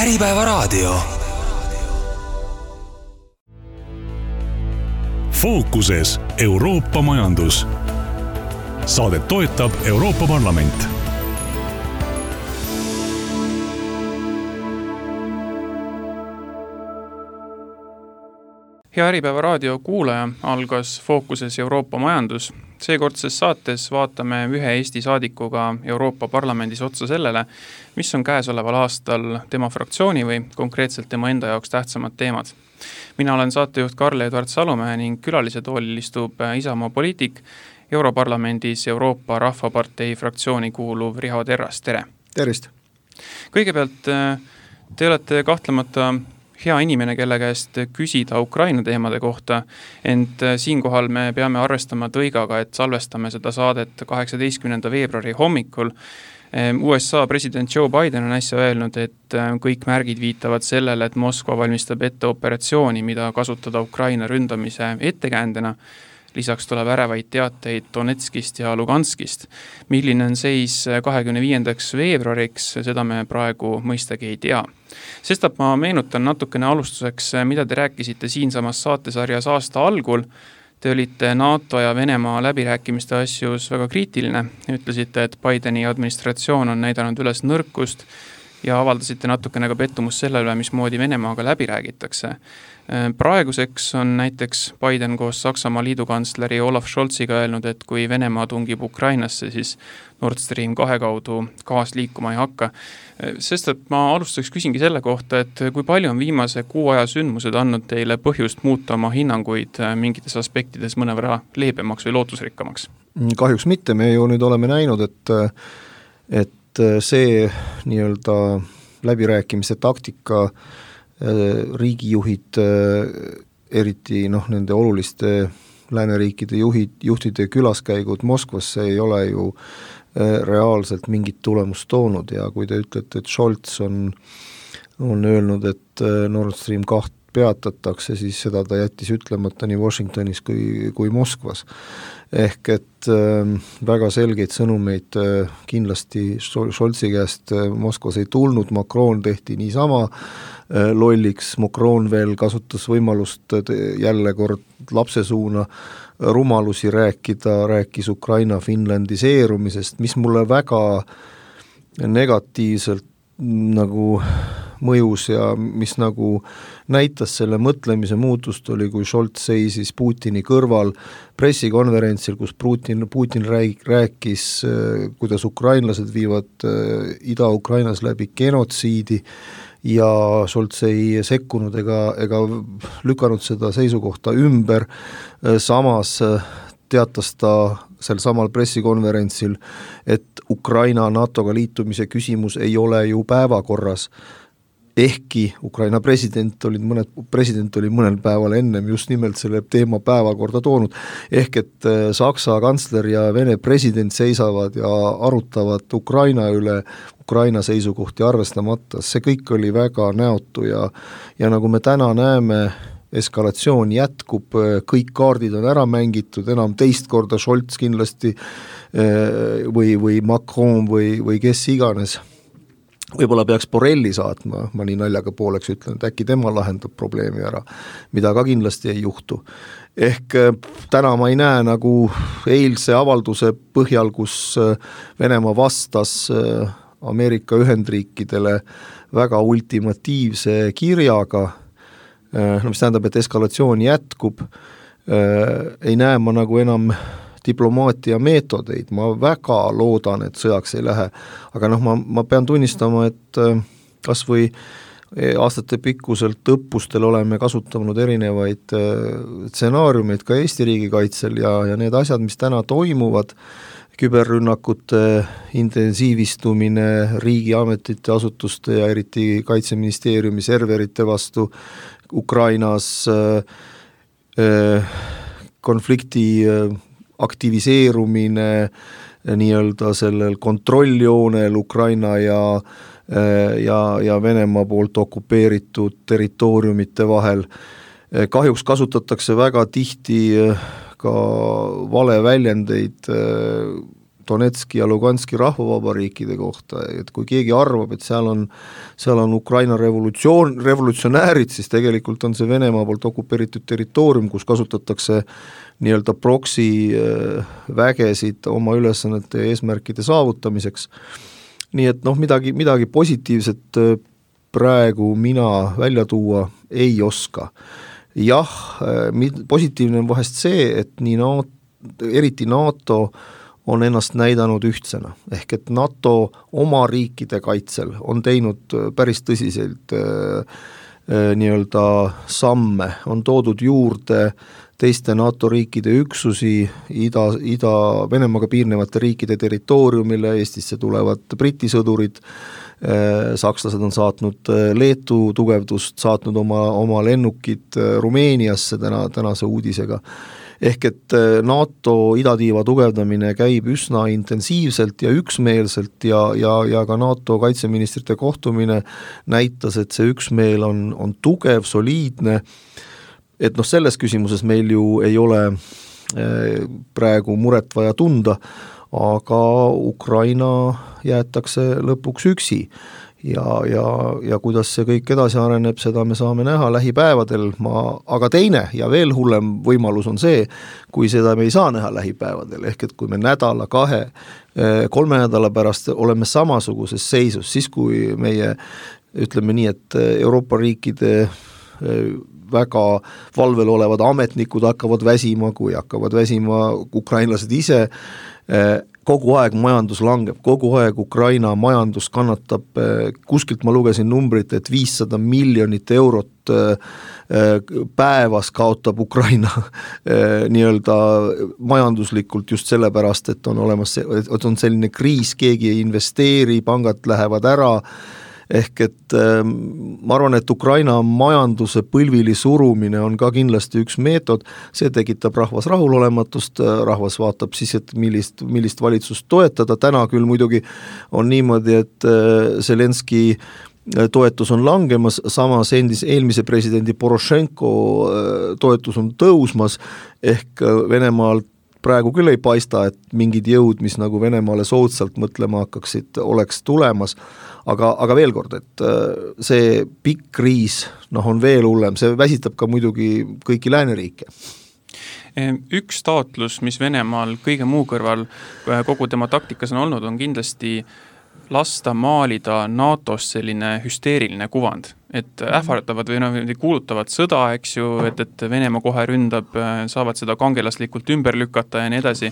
Äripäevaraadio. Fookuses Euroopa majandus. Saadet toetab Euroopa Parlament. Hea Äripäevaraadio kuulaja, algas Fookuses Euroopa majandus. Seekordses saates vaatame ühe Eesti saadikuga Euroopa Parlamendis otsa sellele, mis on käesoleval aastal tema fraktsiooni või konkreetselt tema enda jaoks tähtsamad teemad. Mina olen saatejuht Karl-Edvard Salumäe ning külalise toolil istub Isamaa poliitik, Europarlamendis Euroopa Rahvapartei fraktsiooni kuuluv Riho Terras. Tere! Tervist! Kõigepealt te olete kahtlemata hea inimene, kelle käest küsida Ukraina teemade kohta, ent siinkohal me peame arvestama tõigaga, et salvestame seda saadet 18. veebruari hommikul. USA president Joe Biden on äsja öelnud, et kõik märgid viitavad sellele, et Moskva valmistab ette operatsiooni, mida kasutada Ukraina ründamise ettekäändena. Lisaks tuleb ärevaid teateid Donetskist ja Luganskist. Milline on seis 25. veebruariks, seda me praegu mõistagi ei tea. Sestap ma meenutan natukene alustuseks, mida te rääkisite siinsamas saatesarjas aasta algul. Te olite NATO ja Venemaa läbirääkimiste asjus väga kriitiline. Ütlesite, et Bideni administratsioon on näidanud üles nõrkust ja avaldasite natukene ka pettumus selle üle, mismoodi Venemaaga läbi räägitakse. Praeguseks on näiteks Biden koos Saksamaa liidukantsleri Olaf Scholziga öelnud, et kui Venemaa tungib Ukrainasse, siis Nord Stream 2 kaudu gaas liikuma ei hakka. Sest et ma alustaks küsingi selle kohta, et kui palju on viimase 6 aja sündmused andnud teile põhjust muuta oma hinnanguid mingites aspektides mõnevõrra leebemaks või lootusrikkamaks? Kahjuks mitte, me ju nüüd oleme näinud, et see nii-öelda läbirääkimise taktika riigijuhid, eriti nende oluliste lääneriikide juhtide külaskäigud Moskvasse ei ole ju reaalselt mingit tulemust toonud ja kui te ütlete, et Scholz on öelnud, et Nord Stream 2 peatatakse, siis seda ta jättis ütlemata nii Washingtonis kui Moskvas. Ehk et väga selgeid sõnumeid kindlasti Scholzi käest Moskvas ei tulnud, Macron tehti niisama lolliks, Macron veel kasutas võimalust jälle kord lapsesuuna rumalusi rääkis Ukraina finlandiseerumisest, mis mulle väga negatiivselt nagu mõjus ja mis nagu näitas selle mõtlemise muutust oli, kui Scholz seisis Putini kõrval pressikonverentsil, kus Putin rääkis, kuidas ukrainlased viivad Ida-Ukrainas läbi genotsiidi ja Scholz ei sekkunud ega lükanud seda seisukohta ümber. Samas teatas ta sel samal pressikonverentsil, et Ukraina NATO-ga liitumise küsimus ei ole ju päevakorras. Ehkki Ukraina president oli mõnel päeval ennem just nimelt selle teema päevakorda toonud. Ehk et Saksa kantsler ja Vene president seisavad ja arutavad Ukraina üle, Ukraina seisukohti arvestamata. See kõik oli väga näotu ja nagu me täna näeme, eskalatsioon jätkub, kõik kaardid on ära mängitud, enam teist korda Scholz kindlasti või Macron või kes iganes. Võib-olla peaks Borrelli saatma, ma nii naljaga pooleks ütlen, et äkki tema lahendab probleemi ära, mida ka kindlasti ei juhtu. Ehk täna ma ei näe nagu eilse avalduse põhjal, kus Venemaa vastas Ameerika Ühendriikidele väga ultimatiivse kirjaga, mis tähendab, et eskalatsioon jätkub, ei näe ma nagu enam diplomaatia meetodeid, ma väga loodan, et sõjaks ei lähe, aga ma pean tunnistama, et kas või aastate pikkuselt õppustel oleme kasutanud erinevaid stsenaariumeid ka Eesti riigikaitsel ja need asjad, mis täna toimuvad, küberrünnakute intensiivistumine riigiametite, asutuste ja eriti Kaitseministeeriumi serverite vastu Ukrainas, konflikti aktiviseerumine nii-öelda sellel kontrolljoonel Ukraina ja Venemaa poolt okupeeritud territooriumite vahel. Kahjuks kasutatakse väga tihti ka valeväljendeid Donetski ja Luganski rahvavabariikide kohta, et kui keegi arvab, et seal on Ukraina revolutsionäärid, siis tegelikult on see Venemaa poolt okupeeritud territoorium, kus kasutatakse nii-öelda proksi vägesid oma ülesannete ja eesmärkide saavutamiseks. Nii et midagi positiivset praegu mina välja tuua ei oska. Jah, positiivne on vahest see, et eriti NATO on ennast näidanud ühtsena, ehk et NATO oma riikide kaitsel on teinud päris tõsiselt nii-öelda samme, on toodud juurde teiste NATO riikide üksusi, Venemaaga piirnevate riikide territooriumile, Eestisse tulevad Briti sõdurid, sakslased on saatnud Leetu tugevdust, saatnud oma lennukid Rumeeniasse tänase uudisega. Ehk et NATO idatiiva tugevdamine käib üsna intensiivselt ja üksmeelselt ja ka NATO kaitseministrite kohtumine näitas, et see üksmeel on tugev, soliidne, et selles küsimuses meil ju ei ole praegu muret vaja tunda, aga Ukraina jäetakse lõpuks üksi ja kuidas see kõik edasi areneb, seda me saame näha lähipäevadel, aga teine ja veel hullem võimalus on see, kui seda me ei saa näha lähipäevadel, ehk et kui me nädala, 2-3 nädala pärast oleme samasuguses seisus, siis kui meie, ütleme nii, et Euroopa riikide väga valvel olevad ametnikud hakkavad väsima, kui hakkavad väsima ukrainlased ise, kogu aeg majandus langeb, kogu aeg Ukraina majandus kannatab, kuskilt ma lugesin numbrit, et 500 miljonit eurot päevas kaotab Ukraina nii-öelda majanduslikult just sellepärast, et on selline kriis, keegi ei investeeri, pangad lähevad ära, ehk et ma arvan, et Ukraina majanduse põlvili surumine on ka kindlasti üks meetod, see tekitab rahvas rahulolematust, rahvas vaatab siis, et millist valitsust toetada, täna küll muidugi on niimoodi, et Zelenski toetus on langemas, samas eelmise presidendi Porošenko toetus on tõusmas, ehk Venemaal praegu küll ei paista, et mingid jõud, mis nagu Venemaale soodsalt mõtlema hakkaksid, oleks tulemas, aga veel kord, et see pikk kriis on veel hullem, see väsitab ka muidugi kõiki lääneriike. Üks taotlus, mis Venemaal kõige muu kõrval kogu tema taktikas on olnud, on kindlasti lasta maalida NATOs selline hüsteeriline kuvand, et ähvardavad või kuulutavad sõda, eks ju, et Venemaa kohe ründab, saavad seda kangelaslikult ümber lükata ja nii edasi.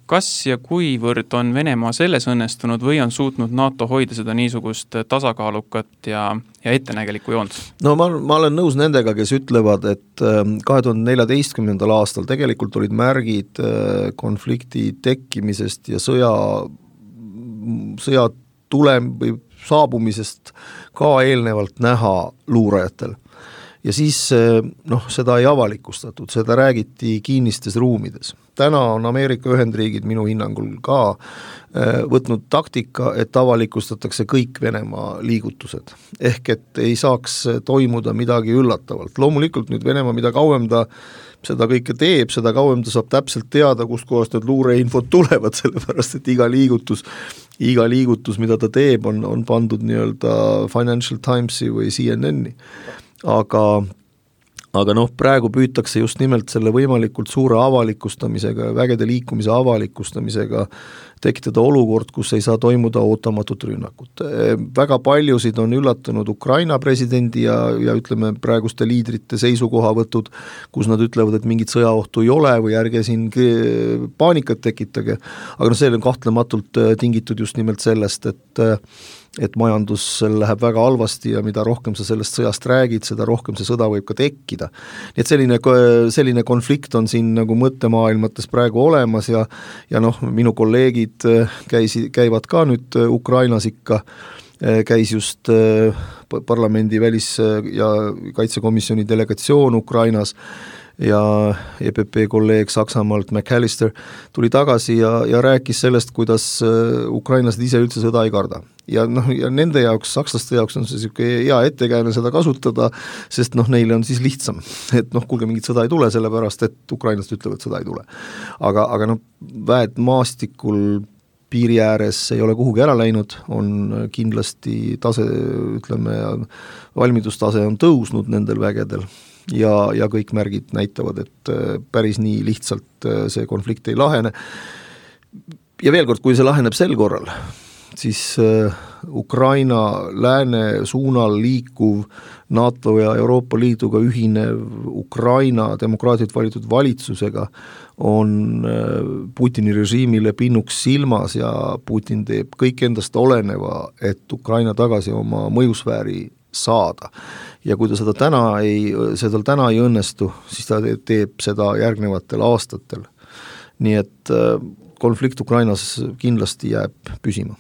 Kas ja kuivõrd on Venemaa selles õnnestunud või on suutnud NATO hoida seda niisugust tasakaalukat ja ettenägelikku joont? No ma olen nõus nendega, kes ütlevad, et 2014. aastal tegelikult olid märgid konflikti tekkimisest ja sõja tulem või saabumisest ka eelnevalt näha luurajatel. Ja siis seda ei avalikustatud, seda räägiti kinnistes ruumides. Täna on Ameerika Ühendriigid minu hinnangul ka võtnud taktika, et avalikustatakse kõik Venemaa liigutused. Ehk et ei saaks toimuda midagi üllatavalt. Loomulikult nüüd Venemaa, mida kauem ta seda kõike teeb, seda kauem ta saab täpselt teada, kust kohast need luureinfod tulevad, sellepärast et iga liigutus, mida ta teeb, on pandud nii-öelda Financial Timesi või CNN-i. Aga praegu püütakse just nimelt selle võimalikult suure avalikustamisega, vägede liikumise avalikustamisega tekitada olukord, kus ei saa toimuda ootamatut rünnakut. Väga paljusid on üllatunud Ukraina presidendi ja ütleme praeguste liidrite seisukohavõtud, kus nad ütlevad, et mingit sõjaohtu ei ole või ärge siin paanikat tekitage. Aga see on kahtlematult tingitud just nimelt sellest, et majandus läheb väga halvasti ja mida rohkem sa sellest sõjast räägid, seda rohkem see sõda võib ka tekkida. Nii et selline konflikt on siin nagu mõttemaailmates praegu olemas ja minu kolleegid käivad ka nüüd Ukrainas ikka, käis just parlamendi välis- ja kaitsekomisjoni delegatsioon Ukrainas EPP kolleeg Saksamaalt McAllister tuli tagasi ja rääkis sellest, kuidas ukrainlased ise üldse sõda ei karda. Ja nende jaoks, sakslaste jaoks on see hea ettekääne seda kasutada, sest neile on siis lihtsam, et kuulge, mingit sõda ei tule, sellepärast et ukrainlased ütlevad, et sõda ei tule. Aga väed maastikul piiri ääres ei ole kuhugi ära läinud, on kindlasti tase, valmidustase on tõusnud nendel vägedel ja kõik märgid näitavad, et päris nii lihtsalt see konflikt ei lahene. Ja veel kord, kui see laheneb sel korral, siis Ukraina lääne suunal liikuv NATO ja Euroopa Liiduga ühinev Ukraina demokraatiat valitud valitsusega on Putini režiimile pinnuks silmas ja Putin teeb kõik endast oleneva, et Ukraina tagasi oma mõjusfääri saada. Ja kui ta seda täna ei õnnestu, siis ta teeb seda järgnevatel aastatel. Nii et konflikt Ukrainas kindlasti jääb püsima.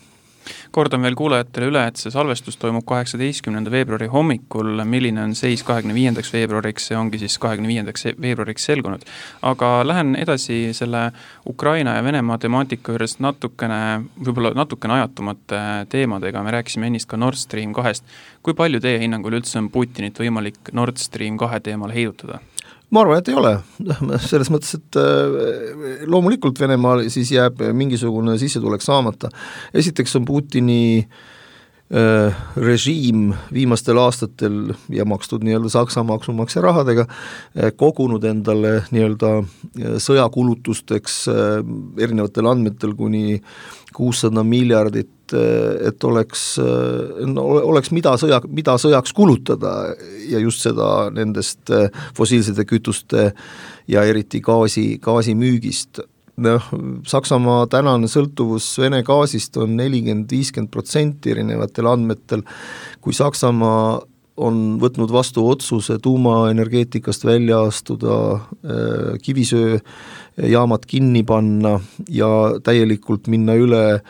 Kordan veel kuulajatele üle, et see salvestus toimub 18. veebruari hommikul, milline on seis 25. veebruariks, see ongi siis 25. veebruariks selgunud. Aga lähen edasi selle Ukraina ja Venemaa temaatika juures võib-olla natukene ajatumate teemadega, me rääkisime ennist ka Nord Stream 2. Kui palju teie hinnangul üldse on Putinit võimalik Nord Stream 2 teemal heidutada? Ma arvan, et ei ole. Selles mõttes, et loomulikult Venemaal siis jääb mingisugune sissetulek saamata. Esiteks on Putini režiim viimastel aastatel ja makstud nii-öelda Saksa maksumaksja rahadega kogunud endale nii-öelda sõjakulutusteks erinevatel andmetel kuni 600 miljardit, et oleks mida sõjaks kulutada ja just seda nendest fossiilsete kütuste ja eriti gaasi müügist. Saksamaa tänane sõltuvus Vene gaasist on 40-50% erinevatel andmetel, kui Saksamaa on võtnud vastu otsuse tuumaenergeetikast välja astuda, kivisööjaamad kinni panna ja täielikult minna üle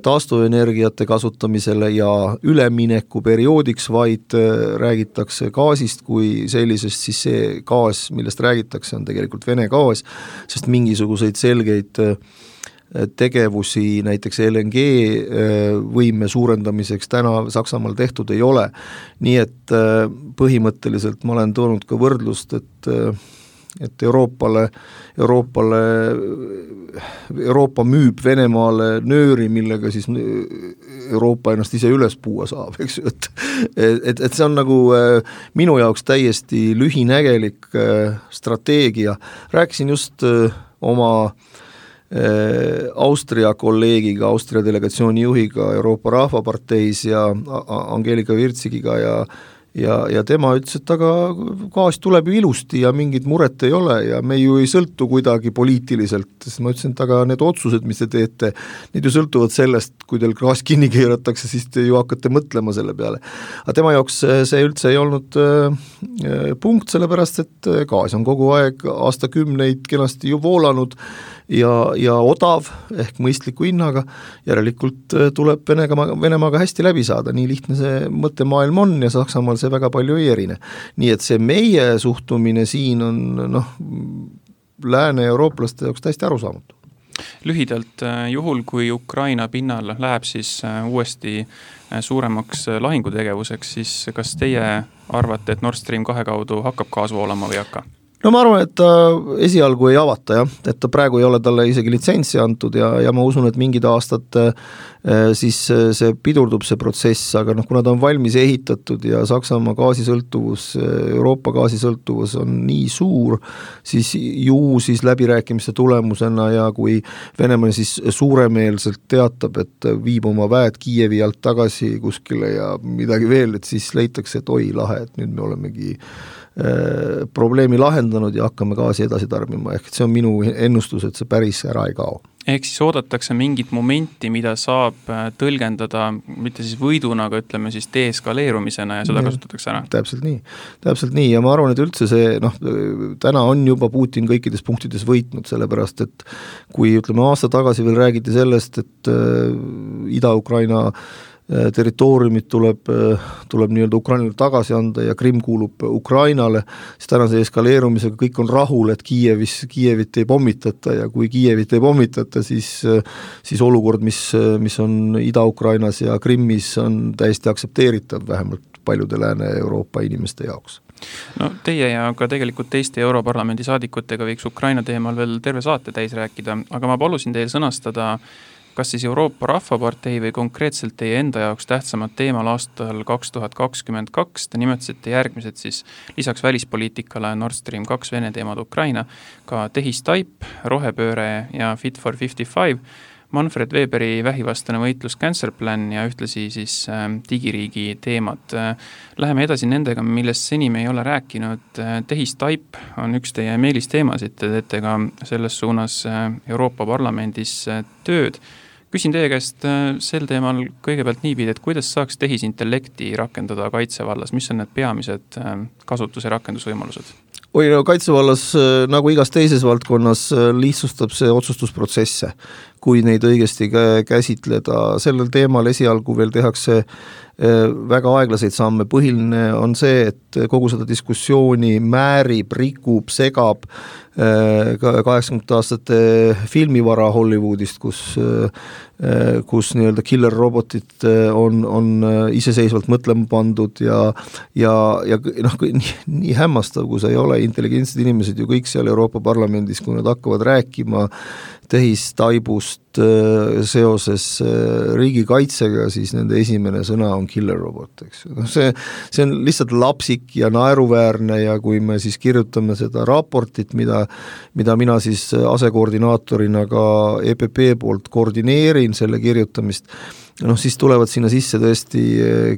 taastuvenergiate kasutamisele ja ülemineku perioodiks vaid räägitakse gaasist kui sellisest, siis see gaas, millest räägitakse, on tegelikult Vene gaas, sest mingisuguseid selgeid tegevusi näiteks LNG võime suurendamiseks täna Saksamaal tehtud ei ole. Nii et põhimõtteliselt ma olen toonud ka võrdlust, et Euroopa müüb Venemaale nööri, millega siis Euroopa ennast ise üles puua saab, eks ju, et see on nagu minu jaoks täiesti lühinägelik strateegia. Rääkisin just oma Austria kolleegiga, Austria delegatsiooni juhiga Euroopa Rahvaparteis ja Angelika Virtsigiga ja tema ütles, et aga gaas tuleb ju ilusti ja mingit muret ei ole ja me ju ei sõltu kuidagi poliitiliselt, siis ma ütlesin, et aga need otsused, mis te teete, need ju sõltuvad sellest, kui teil gaas kinni keeratakse, siis te ju hakkate mõtlema selle peale. Aga tema jaoks see üldse ei olnud punkt, sellepärast et gaas on kogu aeg aastakümneid kenasti ju voolanud ja odav ehk mõistliku hinnaga, järelikult tuleb Venemaaga hästi läbi saada, nii lihtne see mõttemaailm on ja Saksamaal see väga palju ei erine. Nii et see meie suhtumine siin on lääne eurooplaste jaoks täiesti arusaamatu. Lühidalt, juhul kui Ukraina pinnal läheb siis uuesti suuremaks lahingutegevuseks, siis kas teie arvate, et Nord Stream 2 kaudu hakkab gaas voolama või hakka? No ma arvan, et ta esialgu ei avata, jah, et ta praegu ei ole talle isegi litsentsi antud ja ma usun, et mingid aastad siis see pidurdub see protsess, aga kuna ta on valmis ehitatud ja Saksamaa gaasisõltuvus, Euroopa gaasisõltuvus on nii suur, siis siis läbirääkimiste tulemusena ja kui Venemaa siis suuremeelselt teatab, et viib oma väed Kiievi alt tagasi kuskile ja midagi veel, et siis leitakse, et oi lahe, et nüüd me olemegi probleemi lahendanud ja hakkame gaasi edasi tarbima, ehk see on minu ennustus, et see päris ära ei kao. Ehk siis oodatakse mingit momenti, mida saab tõlgendada, mitte siis võiduna, aga ütleme siis deeskaleerumisena ja seda kasutatakse ära. Täpselt nii ja ma arvan, et üldse see, täna on juba Putin kõikides punktides võitnud, sellepärast, et kui ütleme aasta tagasi veel räägiti sellest, et Ida-Ukraina territooriumid tuleb nii-öelda Ukrainale tagasi anda ja Krimm kuulub Ukrainale, siis tänase eskaleerumisega kõik on rahul, et Kiievit ei pommitata ja kui Kiievit ei pommitata, siis olukord, mis on Ida-Ukrainas ja Krimmis, on täiesti aktsepteeritav, vähemalt paljude Lääne-Euroopa inimeste jaoks. No teie ja ka tegelikult teiste Europarlamendi saadikutega võiks Ukraina teemal veel terve saate täis rääkida, aga ma palusin teil sõnastada kas siis Euroopa Rahvapartei või konkreetselt teie enda jaoks tähtsamad teemal aastal 2022, te nimetasite järgmised siis lisaks välispoliitikale Nord Stream 2 Vene teemad Ukraina, ka tehistaip, rohepööre ja Fit for 55, Manfred Weberi vähivastane võitlus Cancer Plan ja ühtlasi siis digiriigi teemad. Läheme edasi nendega, millest seni me ei ole rääkinud. Tehistaip on üks teie meelisteemasid, te teete ka selles suunas Euroopa Parlamendis tööd. Küsin teie käest sel teemal kõigepealt niipidi, et kuidas saaks tehisintellekti rakendada kaitsevallas, mis on need peamised kasutuse rakendusvõimalused? Kaitsevallas, nagu igas teises valdkonnas, lihtsustab see otsustusprotsesse, kui neid õigesti käsitleda. Sellel teemal esialgu veel tehakse väga aeglaseid samme. Põhiline on see, et kogu seda diskussiooni määrib, rikub, segab 80 aastate filmivara Hollywoodist, kus nii-öelda killer robotid on iseseisvalt mõtlema pandud ja nii hämmastav, kui see ei ole, intelligentsed inimesed ju kõik seal Euroopa Parlamendis, kui nad hakkavad rääkima tehistaibust seoses riigikaitsega, siis nende esimene sõna on killer robot, eks. See on lihtsalt lapsik ja naeruväärne ja kui me siis kirjutame seda raportit, mida mina siis asekoordinaatorina ka EPP poolt koordineerin selle kirjutamist, siis tulevad sinna sisse tõesti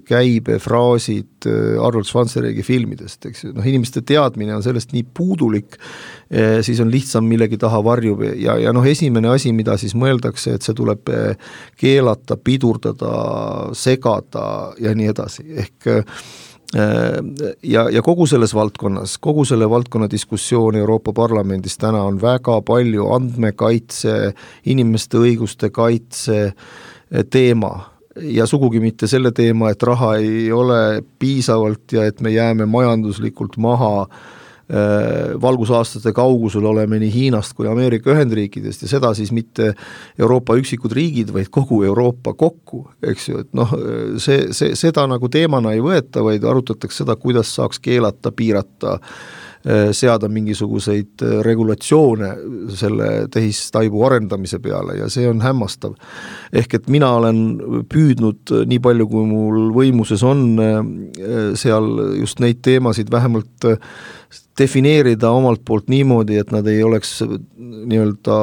käibefraasid Arnold Schwarzeneggi filmidest, eks. Inimeste teadmine on sellest nii puudulik, siis on lihtsam millegi taha varjub ja esimene asi, mida siis mõeldakse, et see tuleb keelata, pidurdada, segada ja nii edasi. Ehk ja kogu selles valdkonnas, kogu selle valdkonna diskussioon Euroopa Parlamendis täna on väga palju andmekaitse, inimeste õiguste kaitse teema ja sugugi mitte selle teema, et raha ei ole piisavalt ja et me jääme majanduslikult maha valgusaastate kaugusel oleme nii Hiinast kui Ameerika Ühendriikidest ja seda siis mitte Euroopa üksikud riigid, vaid kogu Euroopa kokku, eks ju, et seda nagu teemana ei võeta, vaid arutatakse seda, kuidas saaks keelata, piirata, seada mingisuguseid regulatsioone selle tehistaibu arendamise peale ja see on hämmastav. Ehk et mina olen püüdnud nii palju, kui mul võimuses on seal just neid teemasid vähemalt defineerida omalt poolt niimoodi, et nad ei oleks nii-öelda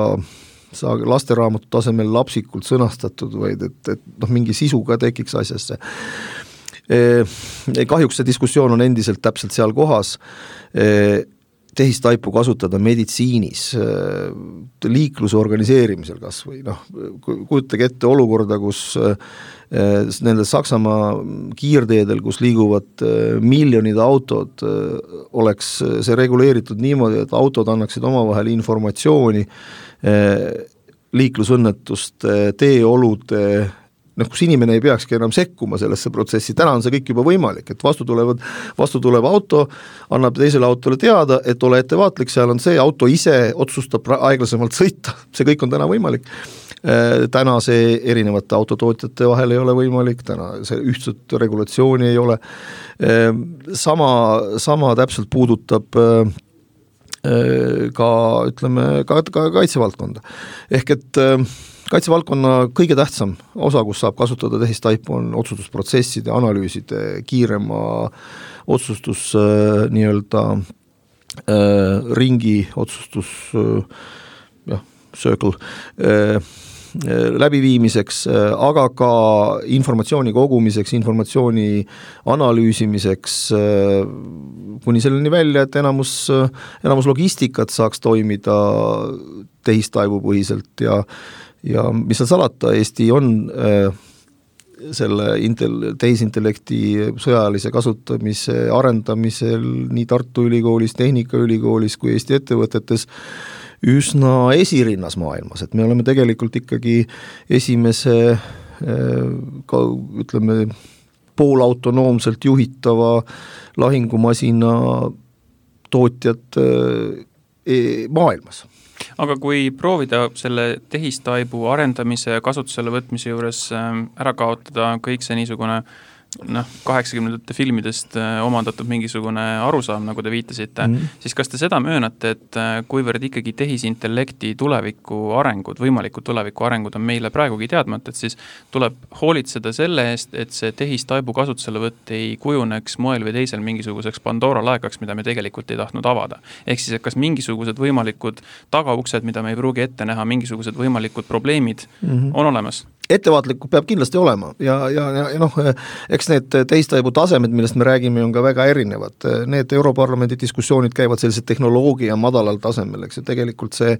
lasteraamatu tasemel lapsikult sõnastatud, vaid et mingi sisu ka tekiks asjasse. Kahjuks see diskussioon on endiselt täpselt seal kohas, tehistaipu kasutada meditsiinis, liikluse organiseerimisel kas või kujutage ette olukorda, kus nende Saksamaa kiirteedel, kus liiguvad miljonid autod, oleks see reguleeritud niimoodi, et autod annaksid omavahel informatsiooni liiklusõnnetuste, teeolude, kus inimene ei peakski enam sekkuma sellesse protsessi, täna on see kõik juba võimalik, et vastu tulev auto annab teisele autole teada, et ole ettevaatlik, seal on see, auto ise otsustab aeglasemalt sõita, see kõik on täna võimalik. Täna see erinevate autotootjate vahel ei ole võimalik, täna see ühtset regulatsiooni ei ole. Sama täpselt puudutab ka, ütleme, ka kaitsevaldkonda. Ehk et kaitsevaldkonna kõige tähtsam osa, kus saab kasutada tehistaipu, on otsustusprotsesside, analüüside, kiirema otsustus nii-öelda ringi otsustus circle läbiviimiseks, aga ka informatsiooni kogumiseks, informatsiooni analüüsimiseks, kuni selleni välja, et enamus logistikat saaks toimida tehistaibu põhiselt ja mis seal salata, Eesti on selle tehisintellekti sõjalise kasutamise arendamisel nii Tartu Ülikoolis, Tehnikaülikoolis kui Eesti ettevõtetes üsna esirinnas maailmas, et me oleme tegelikult ikkagi esimese ka ütleme, poolautonoomselt juhitava lahingumasina tootjad maailmas. Aga kui proovida selle tehistaibu arendamise ja kasutusele võtmise juures ära kaotada kõik see niisugune 80-ndate filmidest omandatud mingisugune arusaam, nagu te viitasite, siis kas te seda möönate, et kuivõrd ikkagi tehisintellekti võimalikud tuleviku arengud on meile praegugi teadmata, et siis tuleb hoolitseda selle eest, et see tehistaibu kasutuselevõtt ei kujuneks moel või teisel mingisuguseks Pandora laekaks, mida me tegelikult ei tahtnud avada. Ehk siis, et kas mingisugused võimalikud tagauksed, mida me ei pruugi ette näha, mingisugused võimalikud probleemid on olemas? Ettevaatlikku peab kindlasti olema ja eks need teistaibu tasemed, millest me räägime, on ka väga erinevad. Need Europarlamendi diskussioonid käivad sellise tehnoloogia madalal tasemel, eks ja tegelikult see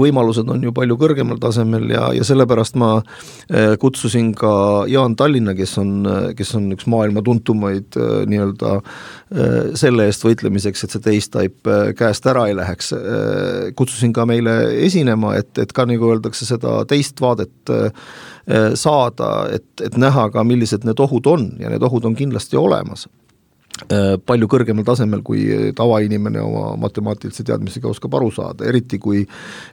võimalused on ju palju kõrgemal tasemel ja sellepärast ma kutsusin ka Jaan Tallinna, kes on üks maailma tuntumaid nii-öelda selle eest võitlemiseks, et see teistaip käest ära ei läheks. Kutsusin ka meile esinema, et ka nagu öeldakse seda teist vaadet saada, et näha ka, millised need ohud on ja need ohud on kindlasti olemas. Palju kõrgemal tasemel, kui tavainimene oma matemaatilise teadmisega oskab aru saada, eriti kui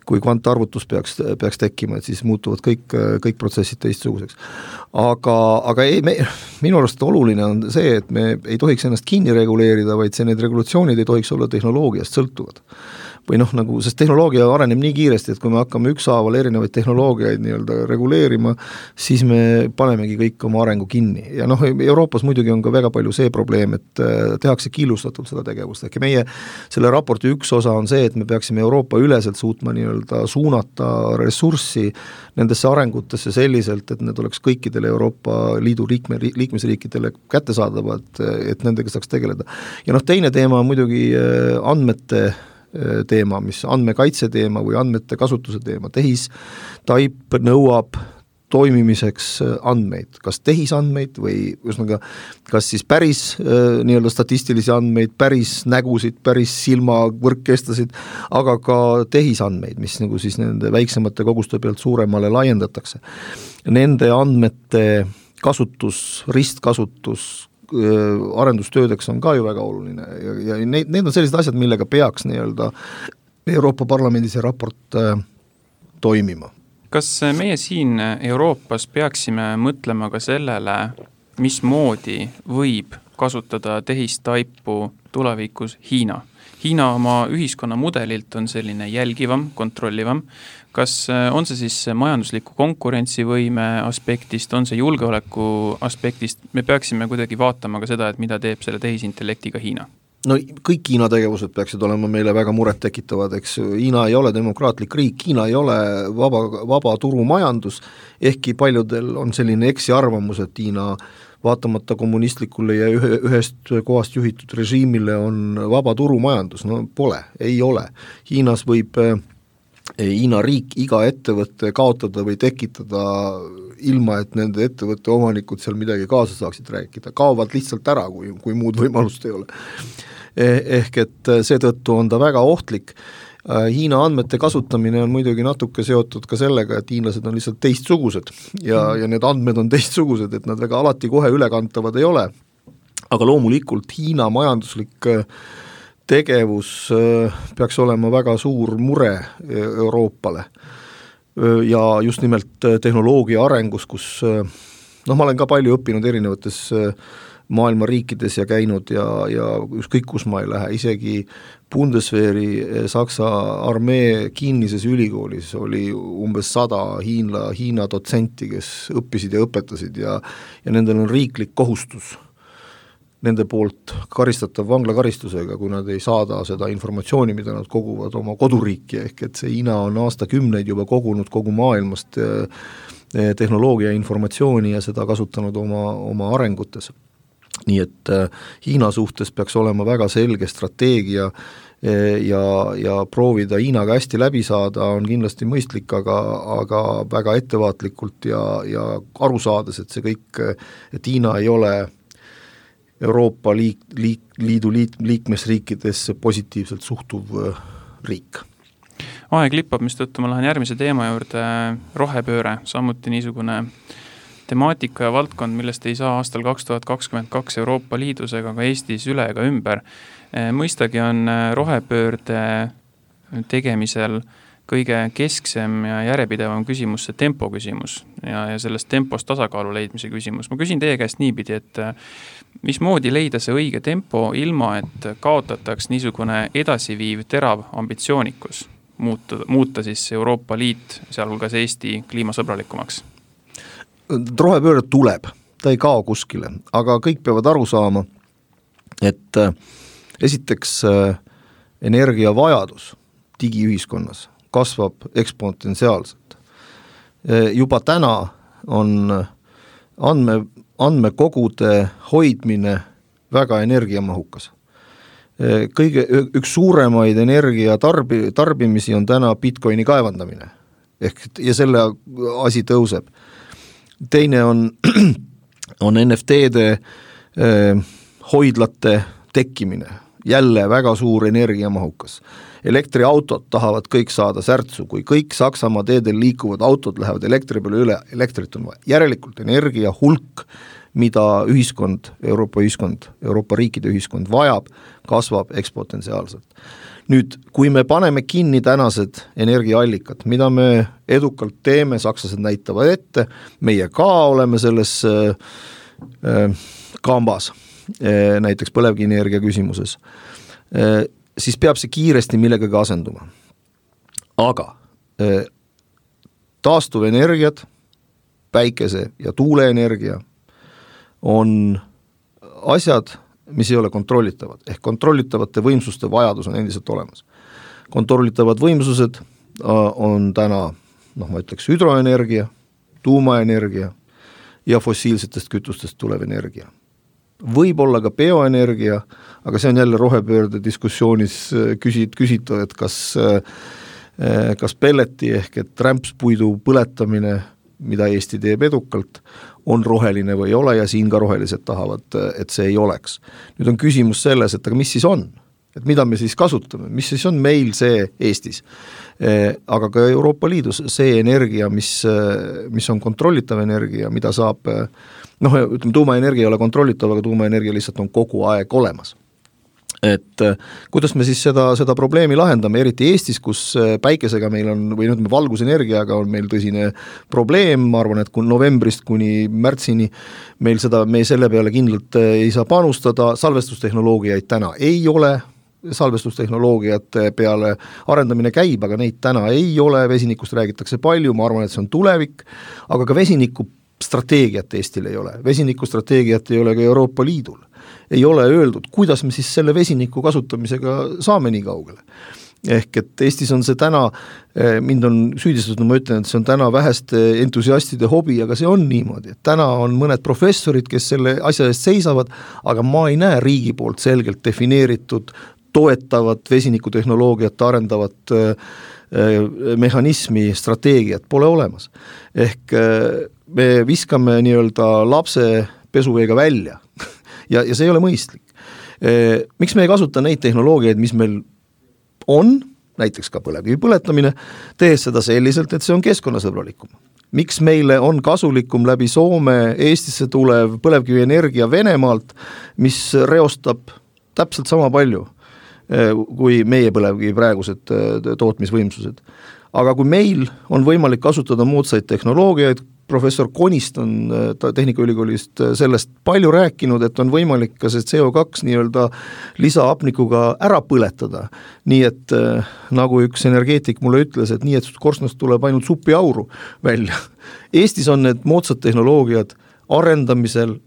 kvantarvutus peaks tekkima, et siis muutuvad kõik protsessid teistsuguseks. Aga minu arust oluline on see, et me ei tohiks ennast kinni reguleerida, vaid need regulatsioonid ei tohiks olla tehnoloogiast sõltuvad. Või sest tehnoloogia areneb nii kiiresti, et kui me hakkame ükshaaval erinevaid tehnoloogiaid nii-öelda reguleerima, siis me panemegi kõik oma arengu kinni. Ja Euroopas muidugi on ka väga palju see probleem, et tehakse killustatult seda tegevust. Ehk meie selle raporti üks osa on see, et me peaksime Euroopa üleselt suutma nii-öelda suunata ressurssi nendesse arengutesse selliselt, et need oleks kõikidele Euroopa Liidu liikmesriikidele kättesaadavad, et nendega saaks tegeleda. Ja teine teema on muidugi andmete teema, mis andmekaitse teema või andmete kasutuse teema. Tehistaip nõuab toimimiseks andmeid, kas tehisandmeid või kas siis päris nii-öelda statistilisi andmeid, päris nägusid, päris silmavõrkkestasid, aga ka tehisandmeid, mis siis nende väiksemate koguste pealt suuremale laiendatakse. Nende andmete kasutus, ristkasutus, arendustöödeks on ka ju väga oluline ja need on sellised asjad, millega peaks nii-öelda Euroopa Parlamendi see raport toimima. Kas meie siin Euroopas peaksime mõtlema ka sellele, mismoodi võib kasutada tehistaipu tulevikus Hiina? Hiina oma ühiskonna mudelilt on selline jälgivam, kontrollivam. Kas on see siis majandusliku konkurentsivõime aspektist, on see julgeoleku aspektist? Me peaksime kuidagi vaatama ka seda, et mida teeb selle tehisintellektiga Hiina. Kõik Hiina tegevused peaksid olema meile väga muret tekitavad, eks Hiina ei ole demokraatlik riik, Hiina ei ole vaba turumajandus, ehkki paljudel on selline eksiarvamus, et Hiina vaatamata kommunistlikule ja ühest kohast juhitud režiimile on vaba turumajandus, pole, ei ole. Hiinas võib Hiina riik iga ettevõtte kaotada või tekitada ilma, et nende ettevõtte omanikud seal midagi kaasa saaksid rääkida. Kaovad lihtsalt ära, kui muud võimalust ei ole. Ehk et seetõttu on ta väga ohtlik. Hiina andmete kasutamine on muidugi natuke seotud ka sellega, et hiinlased on lihtsalt teistsugused ja need andmed on teistsugused, et nad väga alati kohe ülekantavad ei ole. Aga loomulikult Hiina majanduslik tegevus peaks olema väga suur mure Euroopale ja just nimelt tehnoloogia arengus, kus ma olen ka palju õppinud erinevates maailma riikides ja käinud ja ükskõik kus ma ei lähe, isegi Bundeswehri Saksa armee kinnises ülikoolis oli umbes 100 Hiina dotsenti, kes õppisid ja õpetasid ja nendel on riiklik kohustus nende poolt karistatav vanglakaristusega, kui nad ei saada seda informatsiooni, mida nad koguvad oma koduriiki, ehk et see Hiina on aastakümneid juba kogunud kogu maailmast tehnoloogia informatsiooni ja seda kasutanud oma arengutes. Nii et Hiina suhtes peaks olema väga selge strateegia ja proovida Hiinaga hästi läbi saada on kindlasti mõistlik, aga väga ettevaatlikult ja aru saades, et see kõik, et Hiina ei ole Euroopa Liidu liikmesriikidesse positiivselt suhtuv riik. aeg lippab, mistõttu ma lähen järgmise teema juurde, rohepööre, samuti niisugune temaatika ja valdkond, millest ei saa aastal 2022 Euroopa Liidus ega ka Eestis üle ega ümber. Mõistagi on rohepöörde tegemisel kõige kesksem ja järjepidevam küsimus see tempo küsimus ja sellest tempos tasakaalu leidmise küsimus. Ma küsin teie käest niipidi, et mismoodi leida see õige tempo ilma, et kaotataks niisugune edasiviiv terav ambitsioonikus muuta siis Euroopa Liit, sealhulgas Eesti kliimasõbralikumaks? Rohepööre tuleb, ta ei kao kuskile, aga kõik peavad aru saama, et esiteks energiavajadus digiühiskonnas kasvab eksponentsiaalselt. Juba täna on andmekogude hoidmine väga energiamahukas. Üks suuremaid energia tarbimisi on täna Bitcoini kaevandamine. Ja selle asi tõuseb. Teine on NFT-de hoidlate tekkimine. Jälle väga suur energiamahukas. Elektriautod tahavad kõik saada särtsu, kui kõik Saksamaa teedel liikuvad autod lähevad elektri peale üle, elektrit on vaja. Järelikult energia hulk, mida Euroopa riikide ühiskond vajab, kasvab eksponentsiaalselt. Nüüd, kui me paneme kinni tänased energiaallikad, mida me edukalt teeme, sakslased näitavad ette, meie ka oleme selles kambas, näiteks põlevkivienergia küsimuses, siis peab see kiiresti millegagi asenduma. Aga taastuvenergiad, päikese- ja tuuleenergia on asjad, mis ei ole kontrollitavad. Ehk kontrollitavate võimsuste vajadus on endiselt olemas. Kontrollitavad võimsused on täna, ma ütleks, hüdroenergia, tuumaenergia ja fossiilsetest kütustest tulev energia. Võib olla ka bioenergia, aga see on jälle rohepöörde diskussioonis küsitud, et kas pelleti ehk et rämpspuidu põletamine, mida Eesti teeb edukalt, on roheline või ei ole ja siin ka rohelised tahavad, et see ei oleks. Nüüd on küsimus selles, et aga mis siis on? Et mida me siis kasutame? Mis siis on meil see Eestis? Aga ka Euroopa Liidus see energia, mis on kontrollitav energia, mida saab, ütleme, tuumaenergia ei ole kontrollitav, aga tuumaenergia lihtsalt on kogu aeg olemas. Et kuidas me siis seda probleemi lahendame, eriti Eestis, kus päikesega meil on, või valgusenergiaga on meil tõsine probleem, ma arvan, et novembrist kuni märtsini me selle peale kindlalt ei saa panustada, salvestustehnoloogiaid täna ei ole, salvestustehnoloogiate peale arendamine käib, aga neid täna ei ole, vesinikust räägitakse palju, ma arvan, et see on tulevik, aga ka vesinikustrateegiat Eestil ei ole, vesinikustrateegiat ei ole ka Euroopa Liidul. Ei ole öeldud, kuidas me siis selle vesiniku kasutamisega saame nii kaugele. Ehk et Eestis on see täna, mind on süüdistatud, ma ütlen, et see on täna väheste entusiastide hobi, aga see on niimoodi, et täna on mõned professorid, kes selle asja eest seisavad, aga ma ei näe riigi poolt selgelt defineeritud toetavat vesinikutehnoloogiat arendavat mehhanismi, strateegiat pole olemas. Ehk me viskame nii-öelda lapse pesuveega välja ja see ei ole mõistlik. Miks me ei kasuta neid tehnoloogiaid, mis meil on, näiteks ka põlevkivi põletamine, tehes seda selliselt, et see on keskkonnasõbralikum. Miks meile on kasulikum läbi Soome Eestisse tulev põlevkivienergia Venemaalt, mis reostab täpselt sama palju kui meie põlevkivi praegused tootmisvõimsused. Aga kui meil on võimalik kasutada moodsaid tehnoloogiaid, professor Konist on Tehnikaülikoolist sellest palju rääkinud, et on võimalik ka see CO2 nii-öelda lisaapnikuga ära põletada. Nii et nagu üks energeetik mulle ütles, et nii, et korstnast tuleb ainult supiauru välja. Eestis on need moodsad tehnoloogiad arendamisel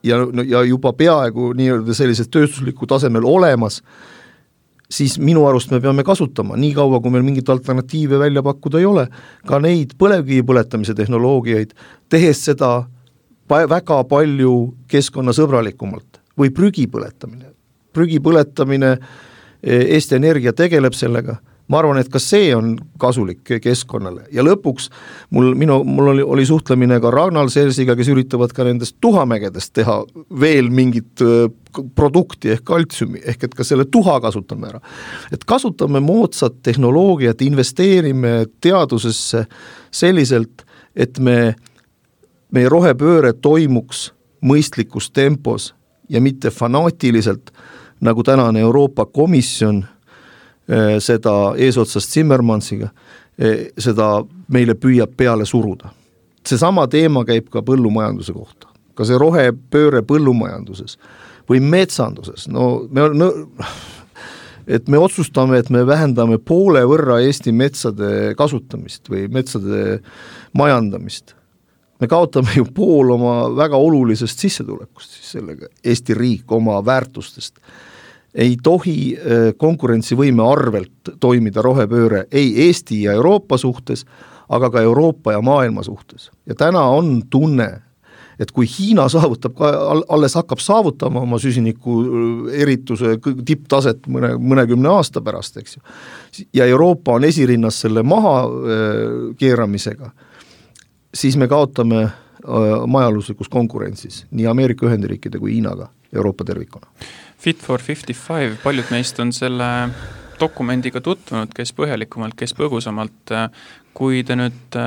ja juba peaaegu nii-öelda sellised tööstusliku tasemel olemas, siis minu arust me peame kasutama, nii kaua, kui meil mingit alternatiive välja pakkuda ei ole, ka neid põlevkivi põletamise tehnoloogiaid, tehes seda väga palju keskkonnasõbralikumalt või prügi põletamine. Prügi põletamine, Eesti Energia tegeleb sellega, ma arvan, et ka see on kasulik keskkonnale ja lõpuks mul oli suhtlemine ka Ragnar Sersiga, kes üritavad ka nendest tuhamägedest teha veel mingit produkti ehk kaltsiumi, ehk et ka selle tuha kasutame ära. Et kasutame moodsat tehnoloogiat, investeerime teadusesse selliselt, et meie rohepööre toimuks mõistlikus tempos ja mitte fanaatiliselt, nagu tänane Euroopa Komisjon seda eesotsast Zimmermansiga, seda meile püüab peale suruda. Seesama teema käib ka põllumajanduse kohta. Ka see rohepööre põllumajanduses või metsanduses. Et me otsustame, et me vähendame poole võrra Eesti metsade kasutamist või metsade majandamist. Me kaotame ju pool oma väga olulisest sissetulekust, siis sellega Eesti riik oma väärtustest. Ei tohi konkurentsivõime arvelt toimida rohepööre ei Eesti ja Euroopa suhtes, aga ka Euroopa ja maailma suhtes. Ja täna on tunne, et kui Hiina alles hakkab saavutama oma süsiniku erituse tipptaset mõnekümne aasta pärast, eks ju, ja Euroopa on esirinnas selle maha keeramisega, siis me kaotame majaluslikus konkurentsis nii Ameerika Ühendriikide kui Hiinaga Euroopa tervikuna. Fit for 55, paljud meist on selle dokumendiga tutvunud, kes põhjalikumalt, kes põgusamalt. Kui te nüüd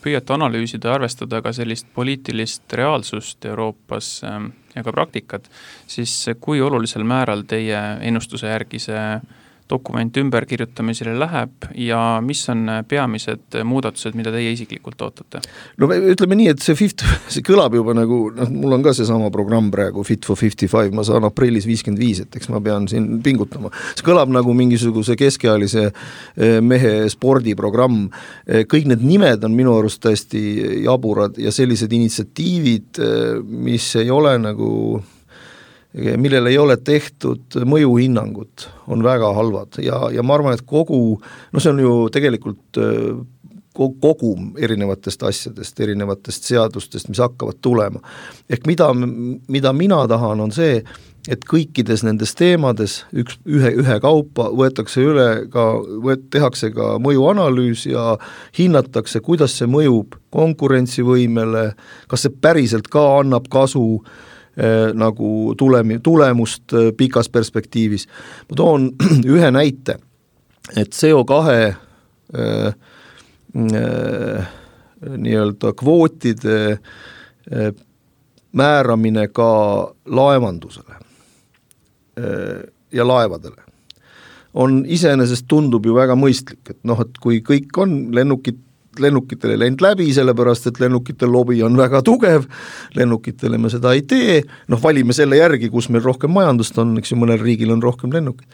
püüate analüüsida ja arvestada ka sellist poliitilist reaalsust Euroopas ja ka praktikat, siis kui olulisel määral teie ennustuse järgi see dokument ümberkirjutamisele läheb ja mis on peamised muudatused, mida teie isiklikult ootate? No ütleme nii, et see kõlab juba nagu, mul on ka see sama programm praegu Fit for 55, ma saan aprillis 55, et eks ma pean siin pingutama. See kõlab nagu mingisuguse keskealise mehe spordiprogramm. Kõik need nimed on minu arust täiesti jaburad ja sellised initsiatiivid, mis ei ole nagu millel ei ole tehtud mõjuhinnangut, on väga halvad ja ma arvan, et see on ju tegelikult kogum erinevatest asjadest, erinevatest seadustest, mis hakkavad tulema. Ehk mida mina tahan on see, et kõikides nendes teemades ühe kaupa võetakse üle tehakse ka mõjuanalüüs ja hinnatakse, kuidas see mõjub konkurentsivõimele, kas see päriselt ka annab kasu nagu tulemust pikas perspektiivis. Ma toon ühe näite, et CO2 nii-öelda kvootide määramine ka laevandusele ja laevadele on iseenesest tundub ju väga mõistlik, et kui kõik on lennukitele lend läbi, sellepärast, et lennukitel lobi on väga tugev, lennukitele me seda ei tee, valime selle järgi, kus meil rohkem majandust on, eks ju, mõnel riigil on rohkem lennukid.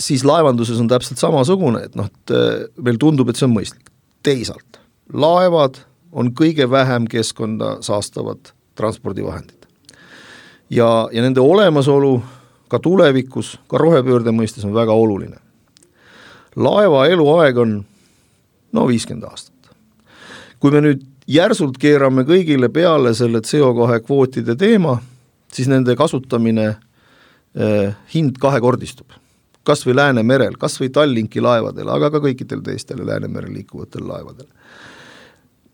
Siis laevanduses on täpselt samasugune, et meil tundub, et see on mõistlik. Teisalt, laevad on kõige vähem keskkonda saastavad transpordivahendid. Ja nende olemasolu ka tulevikus, ka rohepöörde mõistes on väga oluline. Laeva eluaeg on 50 aastat. Kui me nüüd järsult keerame kõigile peale selle CO2 kvootide teema, siis nende kasutamine hind kahekordistub. Kas või Läänemerel, kas või Tallinki laevadel, aga ka kõikidel teistele Läänemerel liikuvatel laevadel.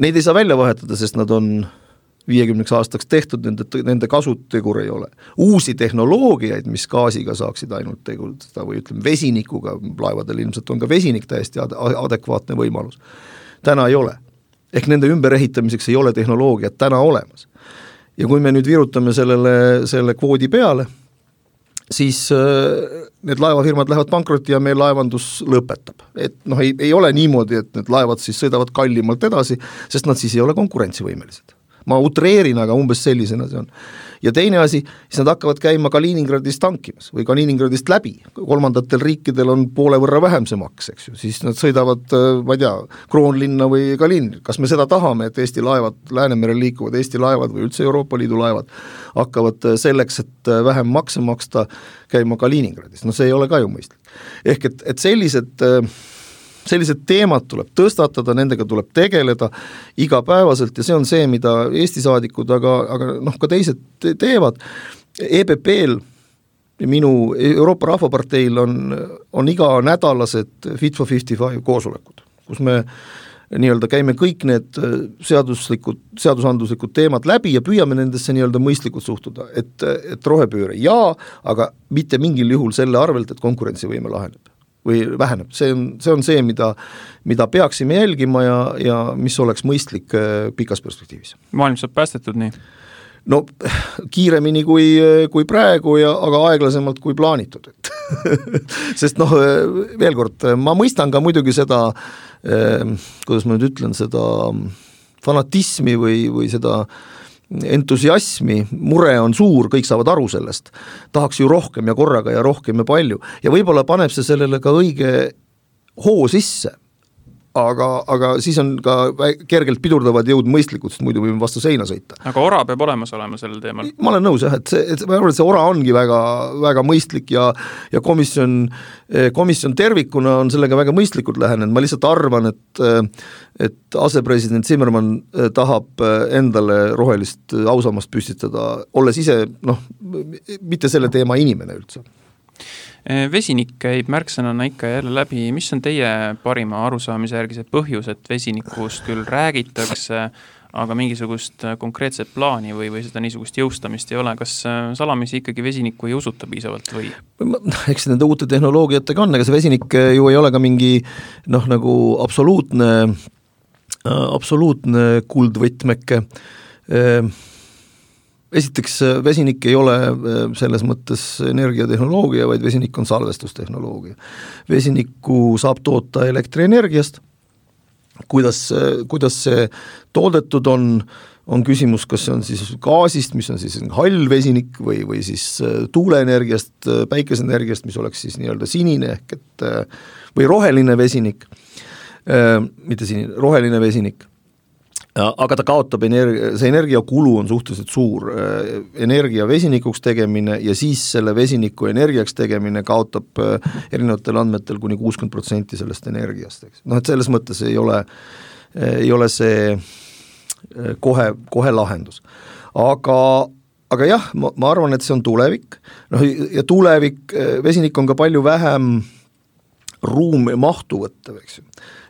Neid ei saa välja vahetada, sest nad on 50 aastaks tehtud, nende kasutegur ei ole. Uusi tehnoloogiaid, mis gaasiga saaksid ainult tegutada või ütleme vesinikuga, laevadel ilmselt on ka vesinik täiesti adekvaatne võimalus. Täna ei ole. Ehk nende ümberehitamiseks ei ole tehnoloogiat täna olemas. Ja kui me nüüd virutame selle kvoodi peale, siis need laevafirmad lähevad pankrotti ja meie laevandus lõpetab. Et ei ole niimoodi, et need laevad siis sõidavad kallimalt edasi, sest nad siis ei ole konkurentsivõimelised. Ma utreerin, aga umbes sellisena see on. Ja teine asi, siis nad hakkavad käima Kaliningradist tankimas või Kaliningradist läbi. Kolmandatel riikidel on poole võrra vähem see maks, eks ju. Siis nad sõidavad, ma ei tea, Kroonlinna või Kaliningrad. Kas me seda tahame, et Eesti laevad, Läänemerel liikuvad Eesti laevad või üldse Euroopa Liidu laevad hakkavad selleks, et vähem makse maksta käima Kaliningradist? See ei ole ka ju mõistlik. Ehk et sellised teemad tuleb tõstatada, nendega tuleb tegeleda igapäevaselt ja see on see, mida Eesti saadikud, aga ka teised teevad. EPP-l minu Euroopa Rahvaparteil on iga nädalased Fit for 55 koosolekud, kus me nii-öelda käime kõik need seadusandluslikud teemad läbi ja püüame nendesse nii-öelda mõistlikult suhtuda, et rohepööre aga mitte mingil juhul selle arvelt, et konkurentsivõime laheneb või väheneb. See on see, mida peaksime jälgima ja mis oleks mõistlik pikas perspektiivis. Maailm saab päästetud nii? No kiiremini kui praegu, aga aeglasemalt kui plaanitud. Sest veel kord, ma mõistan ka muidugi seda, kuidas ma nüüd ütlen, seda fanatismi või seda entusiasmi, mure on suur, kõik saavad aru sellest. Tahaks ju rohkem ja korraga ja rohkem ja palju. Ja võib-olla paneb see sellele ka õige hoo sisse. Aga siis on ka kergelt pidurdavad jõud mõistlikud, sest muidu võime vastu seina sõita. Aga ora peab olemas olema sellel teemal? Ma olen nõus, et see ora ongi väga, väga mõistlik ja komisjon tervikuna on sellega väga mõistlikult lähenenud. Ma lihtsalt arvan, et asepresident Zimmermann tahab endale rohelist ausammast püstitada, olles ise, mitte selle teema inimene üldse. Vesinik käib märksõnana ikka jälle läbi. Mis on teie parima arusaamise järgi see põhjus, et vesinikust küll räägitakse, aga mingisugust konkreetset plaani või seda niisugust jõustamist ei ole? Kas salamisi ikkagi vesinikku ei usuta piisavalt või? Eks nende uute tehnoloogiatega on, aga see vesinik ju ei ole ka mingi nagu absoluutne kuldvõtmeke. Esiteks, vesinik ei ole selles mõttes energiatehnoloogia, vaid vesinik on salvestustehnoloogia. Vesinikku saab toota elektrienergiast. Kuidas see toodetud on küsimus, kas see on siis gaasist, mis on siis hall vesinik või siis tuuleenergiast, päikeseenergiast, mis oleks siis nii-öelda sinine või roheline vesinik, mitte sinine, roheline vesinik. Aga ta kaotab see energiakulu on suhteliselt suur. Energia vesinikuks tegemine ja siis selle vesiniku energiaks tegemine kaotab erinevatel andmetel kuni 60% sellest energiast. Et selles mõttes ei ole see kohe lahendus. Aga jah, ma arvan, et see on tulevik. Ja tulevik, vesinik on ka palju vähem ruumi mahtu võtta.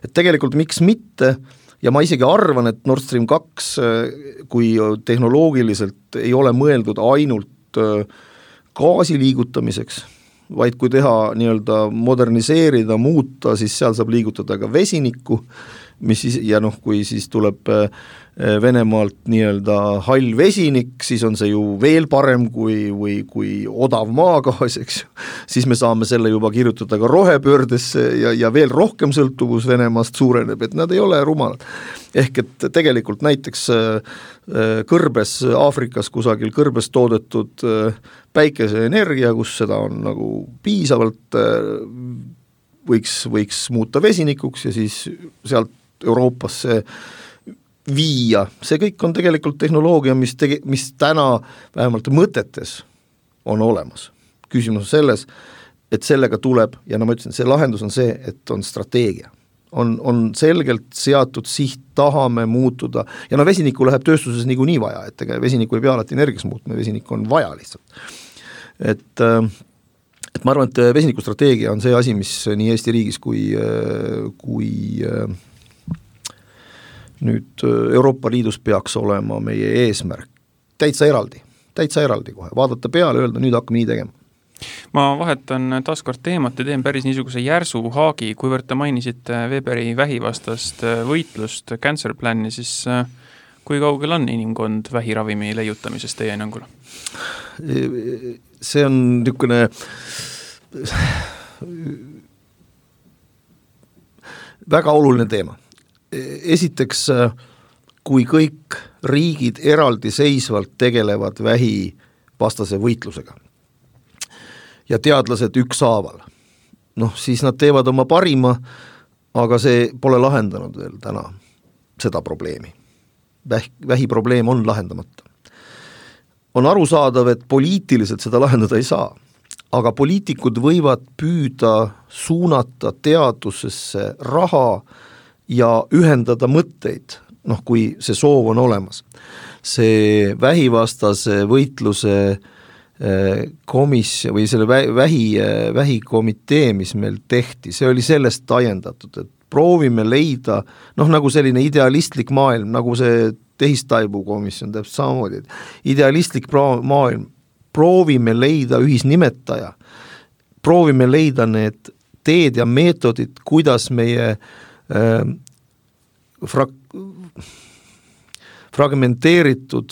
Et tegelikult miks mitte. Ja ma isegi arvan, et Nord Stream 2, kui tehnoloogiliselt ei ole mõeldud ainult gaasi liigutamiseks, vaid kui teha nii-öelda moderniseerida, muuta, siis seal saab liigutada ka vesinikku, ja kui siis tuleb Venemaalt nii-öelda hall vesinik, siis on see ju veel parem kui odav maagaas, eks. Siis me saame selle juba kirjutada ka rohepöördesse ja veel rohkem sõltuvus Venemaast suureneb, et nad ei ole rumalad. Ehk et tegelikult näiteks kõrbes Aafrikas kusagil kõrbes toodetud päikeseenergia, kus seda on nagu piisavalt, võiks muuta vesinikuks ja siis sealt Euroopasse viia. See kõik on tegelikult tehnoloogia, mis täna vähemalt mõtetes on olemas. Küsimus on selles, et sellega tuleb, ja ma ütlesin, see lahendus on see, et on strateegia. On selgelt seatud siht, tahame muutuda, ja vesiniku läheb tööstuses nii vaja, et vesiniku ei pea alati energiaks muutma, vesinik on vaja lihtsalt. Et ma arvan, et vesinikustrateegia on see asi, mis nii Eesti riigis kui nüüd Euroopa Liidus peaks olema meie eesmärk. Täitsa eraldi kohe. Vaadata peale, öelda, nüüd hakkame nii tegema. Ma vahetan taaskord teemat ja teen päris niisuguse järsu haagi, kuivõrd te mainisite Weberi vähivastast võitlust, cancer plan'i, siis kui kaugel on inimkond vähiravimi leiutamisest teie hinnangul? See on niisugune väga oluline teema. Esiteks, kui kõik riigid eraldi seisvalt tegelevad vähivastase võitlusega ja teadlased ükshaaval, siis nad teevad oma parima, aga see pole lahendanud veel täna seda probleemi. Vähiprobleem on lahendamata. On arusaadav, et poliitiliselt seda lahendada ei saa, aga poliitikud võivad püüda suunata teadusesse raha ja ühendada mõtteid, kui see soov on olemas. See vähivastase võitluse või selle vähikomitee, mis meil tehti, see oli sellest ajendatud, et proovime leida, nagu selline idealistlik maailm, nagu see tehistaibu komisjon täpselt samamoodi, idealistlik maailm, proovime leida ühisnimetaja, proovime leida need teed ja meetodid, kuidas meie fragmenteeritud,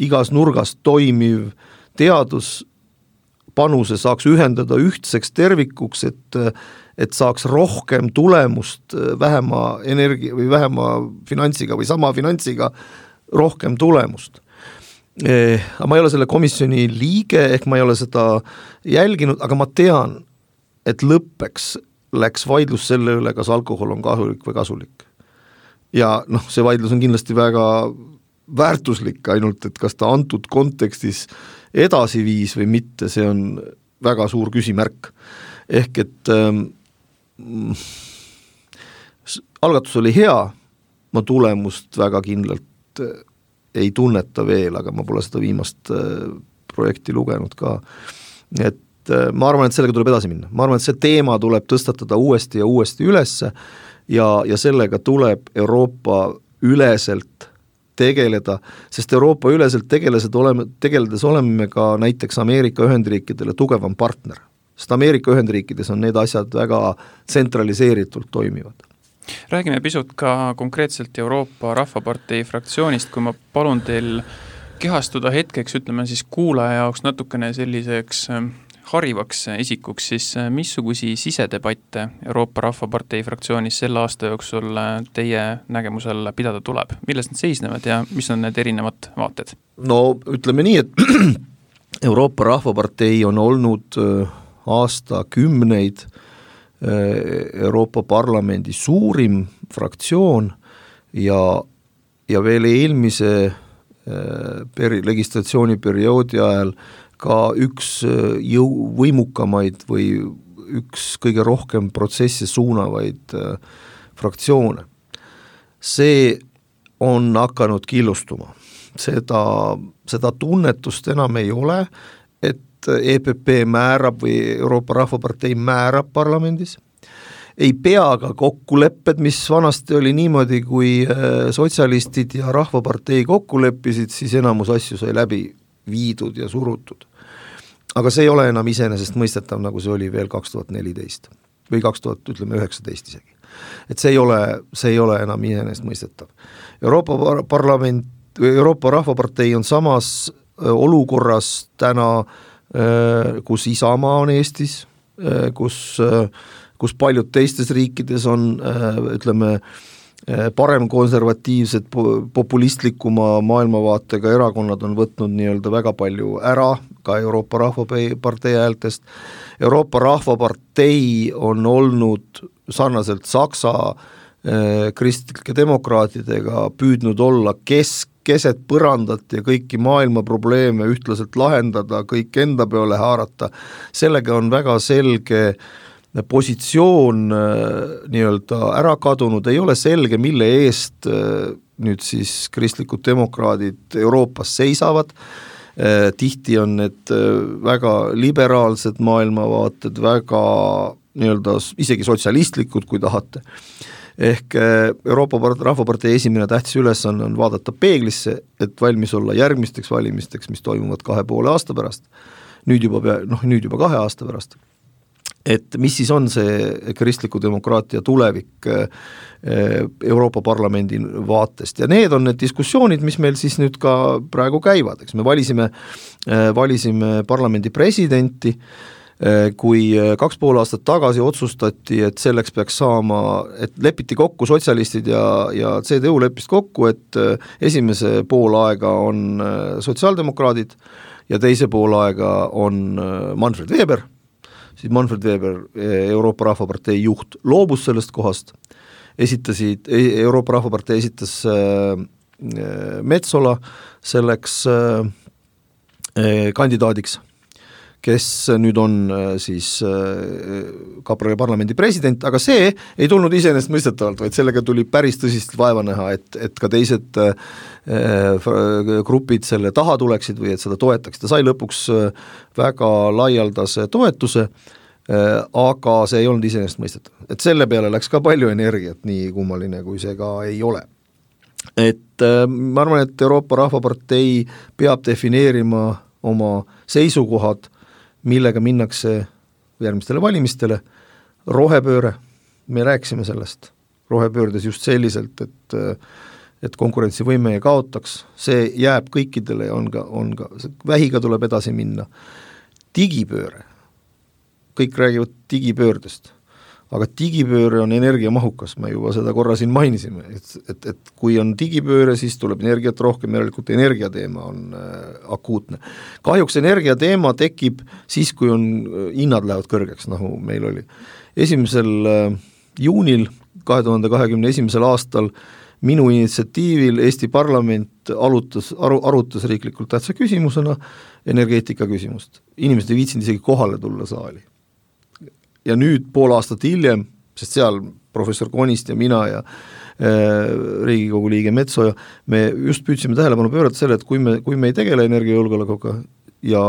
igas nurgas toimiv teaduspanuse saaks ühendada ühtseks tervikuks, et saaks rohkem tulemust vähema energia või vähema finantsiga või sama finantsiga rohkem tulemust. Ma ei ole selle komisjoni liige, ehk ma ei ole seda jälginud, aga ma tean, et lõppeks läks vaidlus selle üle, kas alkohol on kahjulik või kasulik. Ja see vaidlus on kindlasti väga väärtuslik, ainult et kas ta antud kontekstis edasi viis või mitte, see on väga suur küsimärk. Ehk et algatus oli hea, ma tulemust väga kindlalt ei tunneta veel, aga ma pole seda viimast projekti lugenud ka. Et ma arvan, et sellega tuleb edasi minna. Ma arvan, et see teema tuleb tõstatada uuesti ja uuesti ülesse ja sellega tuleb Euroopa üleselt tegeleda, sest Euroopa üleselt tegeledes oleme ka näiteks Ameerika Ühendriikidele tugevam partner, sest Ameerika Ühendriikides on need asjad väga tsentraliseeritult toimivad. Räägime pisut ka konkreetselt Euroopa Rahvapartei fraktsioonist, kui ma palun teil kehastuda hetkeks, ütleme siis kuulaja jaoks natukene selliseks harivaks isikuks, siis missugusi sisedebatte Euroopa Rahvapartei fraktsioonis selle aasta jooksul teie nägemusel pidada tuleb? Millest need seisnevad ja mis on need erinevad vaated? No ütleme nii, et Euroopa Rahvapartei on olnud aastakümneid Euroopa Parlamendi suurim fraktsioon ja veel eelmise legislatsiooniperioodi ajal ka üks võimukamaid või üks kõige rohkem protsesse suunavaid fraktsioone. See on hakanud killustuma. Seda tunnetust enam ei ole, et EPP määrab või Euroopa Rahvapartei määrab parlamendis. Ei pea ka kokkulepped, mis vanasti oli niimoodi, kui sotsialistid ja Rahvapartei kokku leppisid, siis enamus asju sai läbi viidud ja surutud. Aga see ei ole enam iseenesest mõistetav, nagu see oli veel 2014 või 2019 isegi. Et see ei ole enam iseenesest mõistetav. Euroopa Rahvapartei on samas olukorras täna, kus Isamaa on Eestis, kus paljud teistes riikides on, ütleme, parem konservatiivsed, populistlikuma maailmavaatega erakonnad on võtnud nii-öelda väga palju ära, ka Euroopa Rahvapartei häältest. Euroopa Rahvapartei on olnud sarnaselt Saksa kristlike demokraatidega püüdnud olla keset põrandat ja kõiki maailma probleeme ühtlaselt lahendada, kõik enda peale haarata. Sellega on väga selge positsioon nii-öelda ära kadunud, ei ole selge, mille eest nüüd siis kristlikud demokraadid Euroopas seisavad. Tihti on need väga liberaalsed maailmavaated, väga nii-öelda isegi sotsialistlikud, kui tahate. Ehk Euroopa Rahvapartei esimene tähtis ülesanne on vaadata peeglisse, et valmis olla järgmisteks valimisteks, mis toimuvad 2,5 aasta pärast, nüüd juba 2 aasta pärast. Et mis siis on see kristliku demokraatia tulevik Euroopa Parlamendi vaatest ja need on need diskussioonid, mis meil siis nüüd ka praegu käivad, eks me valisime parlamendi presidenti, kui 2,5 aastat tagasi otsustati, et selleks peaks saama, et lepiti kokku sotsialistid ja CDU leppis kokku, et esimese poolaega on sotsiaaldemokraadid ja teise poolaega on Manfred Weber, siis Manfred Weber, Euroopa Rahvapartei juht, loobus sellest kohast, Euroopa Rahvapartei esitas Metsola selleks kandidaadiks, kes nüüd on siis ka parlamendi president, aga see ei tulnud iseenesestmõistetavalt, vaid sellega tuli päris tõsist vaeva näha, et ka teised grupid selle taha tuleksid või et seda toetaks. Ta sai lõpuks väga laialdase toetuse, aga see ei olnud iseenesestmõistetav. Et selle peale läks ka palju energiat, nii kummaline kui see ka ei ole. Et ma arvan, et Euroopa Rahvapartei peab defineerima oma seisukohad, millega minnakse järgmistele valimistele, rohepööre, me rääkisime sellest, rohepöördes just selliselt, et konkurentsivõime ei kaotaks, see jääb kõikidele ja on ka vähiga tuleb edasi minna. Digipööre, kõik räägivad digipöördest, aga digipööre on energiamahukas, me juba seda korra siin mainisime, et kui on digipööre, siis tuleb energiat rohkem, järelikult energiateema on akuutne. Kahjuks energiateema tekib siis, kui on hinnad lähevad kõrgeks, nagu meil oli. 1. juunil 2021. aastal minu initsiatiivil Eesti parlament arutas riiklikult tähtsa küsimusena energeetika küsimust. Inimesed ei viitsinud isegi kohale tulla saali. Ja nüüd pool aastat hiljem, sest seal professor Konist ja mina ja Riigikogu liige Metsoja, me just püüdsime tähelepanu pöörata selle, et kui me ei tegele energiajulgeolekuga ja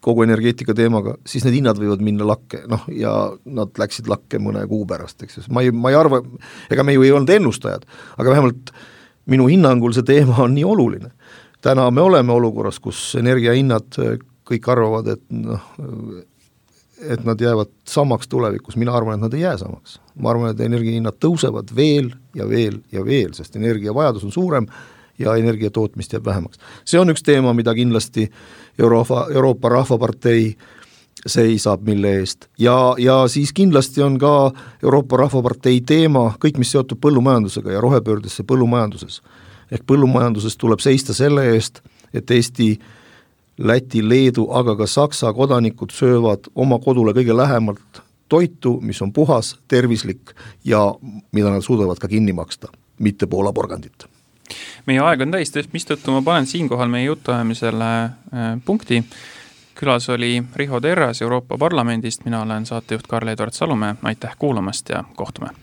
kogu energeetika teemaga, siis need hinnad võivad minna lakke, ja nad läksid lakke mõne kuu pärast, eks. Ma ei arva, ega me ju ei olnud ennustajad, aga vähemalt minu hinnangul see teema on nii oluline. Täna me oleme olukorras, kus energiahinnad kõik arvavad, et nad jäävad samaks tulevikus, mina arvan, et nad ei jää samaks. Ma arvan, et energiahinnad tõusevad veel ja veel ja veel, sest energiavajadus on suurem ja energiatootmist jääb vähemaks. See on üks teema, mida kindlasti Euroopa Rahvapartei seisab mille eest. Ja siis kindlasti on ka Euroopa Rahvapartei teema, kõik mis seotud põllumajandusega ja rohepöördesse põllumajanduses. Ehk põllumajanduses tuleb seista selle eest, et Eesti Läti, Leedu, aga ka Saksa kodanikud söövad oma kodule kõige lähemalt toitu, mis on puhas, tervislik ja mida nad suudavad ka kinni maksta, mitte Poola porgandit. Meie aeg on täis, mistõttu ma panen siinkohal meie jutuajamisele punkti. Külas oli Riho Terras Euroopa Parlamendist, mina olen saatejuht Karl-Edvard Salumäe, aitäh kuulamast ja kohtume!